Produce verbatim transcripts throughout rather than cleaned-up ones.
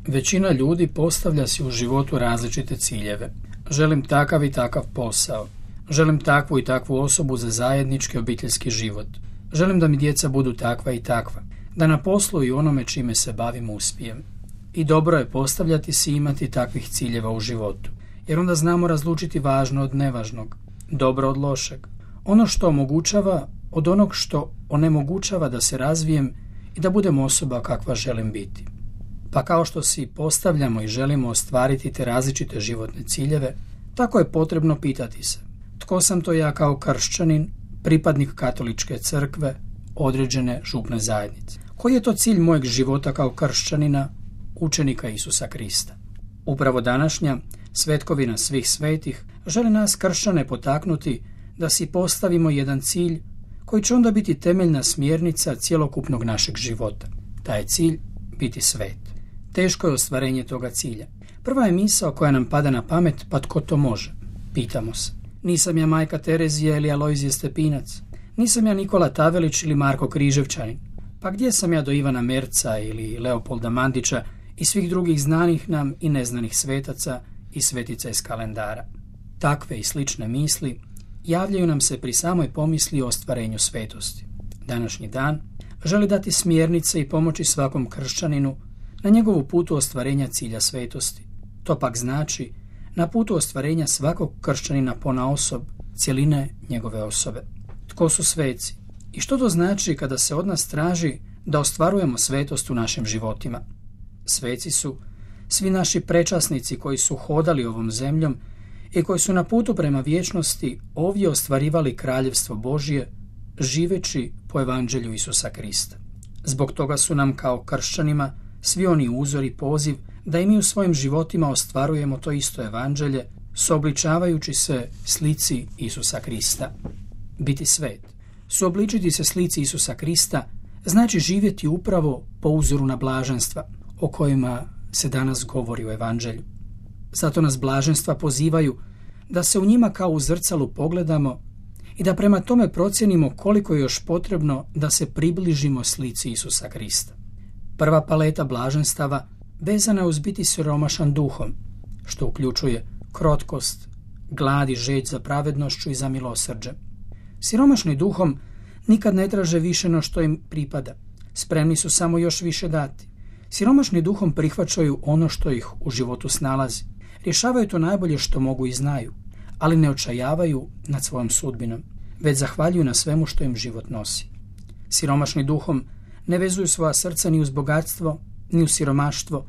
Većina ljudi postavlja si u životu različite ciljeve. Želim takav i takav posao. Želim takvu i takvu osobu za zajednički obiteljski život. Želim da mi djeca budu takva i takva. Da na poslu i onome čime se bavim uspijem. I dobro je postavljati si i imati takvih ciljeva u životu. Jer onda znamo razlučiti važno od nevažnog. Dobro od lošeg. Ono što omogućava od onog što onemogućava da se razvijem i da budem osoba kakva želim biti. Pa kao što si postavljamo i želimo ostvariti te različite životne ciljeve, tako je potrebno pitati se: tko sam to ja kao kršćanin, pripadnik katoličke crkve, određene župne zajednice? Koji je to cilj mojeg života kao kršćanina, učenika Isusa Krista? Upravo današnja svetkovina svih svetih želi nas kršćane potaknuti da si postavimo jedan cilj koji će onda biti temeljna smjernica cjelokupnog našeg života. Taj je cilj biti svet. Teško je ostvarenje toga cilja. Prva je misao koja nam pada na pamet: pa tko to može? Pitamo se. Nisam ja majka Terezija ili Alojzije Stepinac. Nisam ja Nikola Tavelić ili Marko Križevčanin. Pa gdje sam ja do Ivana Merca ili Leopolda Mandića i svih drugih znanih nam i neznanih svetaca i svetica iz kalendara? Takve i slične misli javljaju nam se pri samoj pomisli o ostvarenju svetosti. Današnji dan želi dati smjernice i pomoći svakom kršćaninu na njegovu putu ostvarenja cilja svetosti. To pak znači na putu ostvarenja svakog kršćanina ponaosob, cjeline njegove osobe. Tko su sveci? I što to znači kada se od nas traži da ostvarujemo svetost u našim životima? Sveci su svi naši prečasnici koji su hodali ovom zemljom i koji su na putu prema vječnosti ovdje ostvarivali kraljevstvo Božje, živeći po evanđelju Isusa Krista. Zbog toga su nam kao kršćanima svi oni uzor i poziv da i mi u svojim životima ostvarujemo to isto evanđelje, suobličavajući se slici Isusa Krista. Biti svet, suobličiti se slici Isusa Krista, znači živjeti upravo po uzoru na blaženstva o kojima se danas govori u evanđelju. Zato nas blaženstva pozivaju da se u njima kao u zrcalu pogledamo i da prema tome procijenimo koliko je još potrebno da se približimo slici Isusa Krista. Prva paleta blaženstava vezana je uz biti siromašan duhom, što uključuje krotkost, glad i žeđ za pravednošću i za milosrđe. Siromašni duhom nikad ne traže više no što im pripada. Spremni su samo još više dati. Siromašni duhom prihvaćaju ono što ih u životu snalazi. Rješavaju to najbolje što mogu i znaju, ali ne očajavaju nad svojom sudbinom, već zahvaljuju na svemu što im život nosi. Siromašni duhom ne vezuju svoja srca ni uz bogatstvo, ni uz siromaštvo,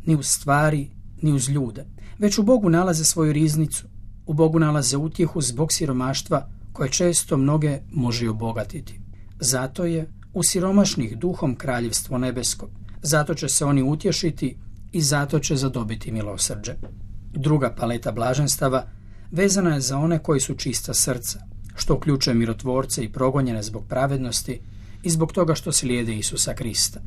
ni uz stvari, ni uz ljude, već u Bogu nalaze svoju riznicu, u Bogu nalaze utjehu zbog siromaštva koje često mnoge može obogatiti. Zato je u siromašnih duhom kraljevstvo nebesko, zato će se oni utješiti i zato će zadobiti milosrđe. Druga paleta blaženstava vezana je za one koji su čista srca, što uključuje mirotvorce i progonjene zbog pravednosti i zbog toga što slijede Isusa Krista.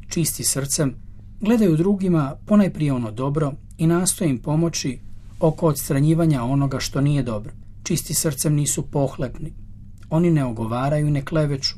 Čisti srcem gledaju drugima ponajprije ono dobro i nastoje im pomoći oko odstranjivanja onoga što nije dobro. Čisti srcem nisu pohlepni. Oni ne ogovaraju i ne kleveću.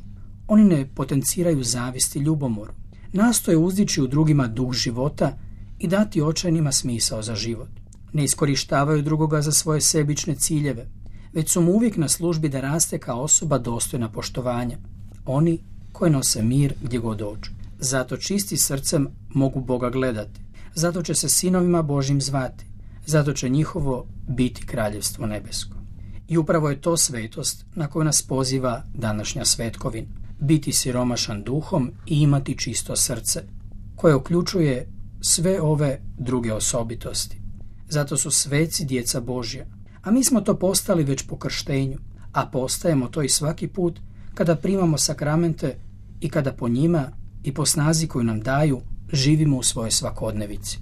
Oni ne potenciraju zavist i ljubomoru. Nastoje uzdići u drugima duh života i dati očajnima smisao za život. Ne iskorištavaju drugoga za svoje sebične ciljeve, već su mu uvijek na službi da raste kao osoba dostojna poštovanja. Oni koji nose mir gdje god dođu. Zato čisti srcem mogu Boga gledati. Zato će se sinovima Božjim zvati. Zato će njihovo biti kraljevstvo nebesko. I upravo je to svetost na koju nas poziva današnja svetkovina. Biti siromašan duhom i imati čisto srce, koje uključuje sve ove druge osobitosti. Zato su sveci djeca Božja, a mi smo to postali već po krštenju, a postajemo to i svaki put kada primamo sakramente i kada po njima i po snazi koju nam daju živimo u svojoj svakodnevici.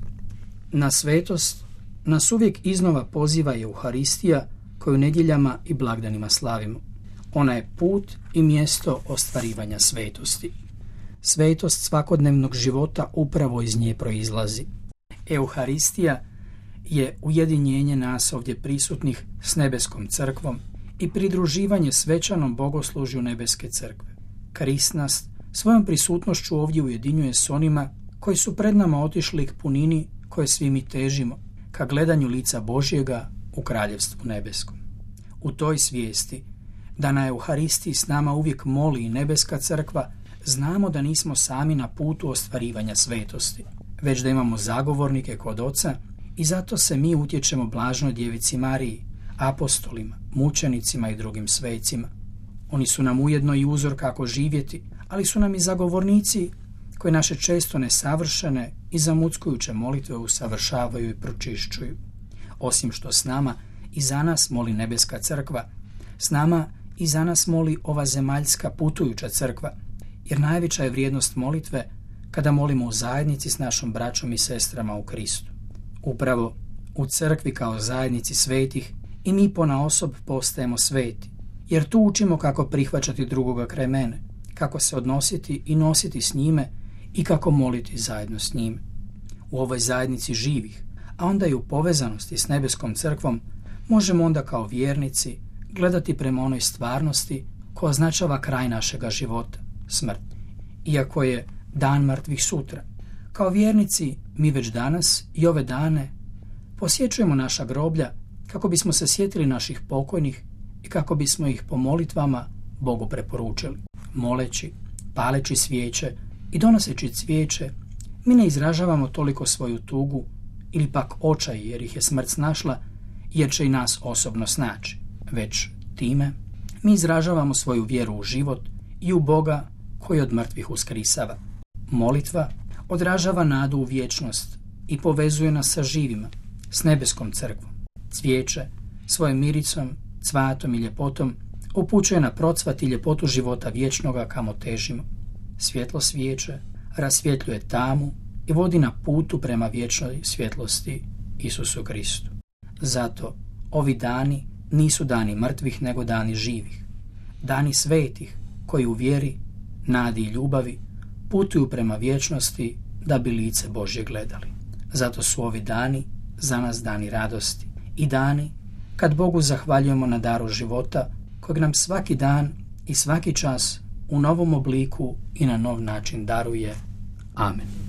Na svetost nas uvijek iznova poziva Euharistija koju nedjeljama i blagdanima slavimo. Ona je put i mjesto ostvarivanja svetosti. Svetost svakodnevnog života upravo iz nje proizlazi. Euharistija je ujedinjenje nas ovdje prisutnih s nebeskom crkvom i pridruživanje svečanom bogoslužju nebeske crkve. Krist nas svojom prisutnošću ovdje ujedinjuje s onima koji su pred nama otišli k punini koje svi mi težimo, ka gledanju lica Božjega u kraljevstvu nebeskom. U toj svijesti da na Euharistiji s nama uvijek moli i nebeska crkva, znamo da nismo sami na putu ostvarivanja svetosti, već da imamo zagovornike kod Oca i zato se mi utječemo blažnoj djevici Mariji, apostolima, mučenicima i drugim svecima. Oni su nam ujedno i uzor kako živjeti, ali su nam i zagovornici koji naše često nesavršene i zamuckujuće molitve usavršavaju i pročišćuju. Osim što s nama i za nas moli nebeska crkva, s nama i za nas moli ova zemaljska putujuća crkva, jer najveća je vrijednost molitve kada molimo u zajednici s našom braćom i sestrama u Kristu. Upravo u crkvi kao zajednici svetih i mi ponaosob postajemo sveti, jer tu učimo kako prihvaćati drugoga kraj mene, kako se odnositi i nositi s njime i kako moliti zajedno s njime. U ovoj zajednici živih, a onda i u povezanosti s nebeskom crkvom, možemo onda kao vjernici gledati prema onoj stvarnosti koja označava kraj našega života, smrt. Iako je dan mrtvih sutra, kao vjernici mi već danas i ove dane posjećujemo naša groblja kako bismo se sjetili naših pokojnih i kako bismo ih po molitvama Bogu preporučili. Moleći, paleći svijeće i donoseći cvijeće, mi ne izražavamo toliko svoju tugu ili pak očaj jer ih je smrt snašla, jer će i nas osobno snaći, već time mi izražavamo svoju vjeru u život i u Boga koji od mrtvih uskrisava. Molitva odražava nadu u vječnost i povezuje nas sa živima, s nebeskom crkvom. Cvijeće svojim miricom, cvatom i ljepotom upućuje na procvat i ljepotu života vječnoga kamo težimo. Svjetlo svijeće rasvjetljuje tamu i vodi na putu prema vječnoj svjetlosti Isusu Kristu. Zato ovi dani nisu dani mrtvih nego dani živih. Dani svetih koji u vjeri, nadi i ljubavi putuju prema vječnosti da bi lice Božje gledali. Zato su ovi dani za nas dani radosti i dani kad Bogu zahvaljujemo na daru života kojeg nam svaki dan i svaki čas u novom obliku i na nov način daruje. Amen.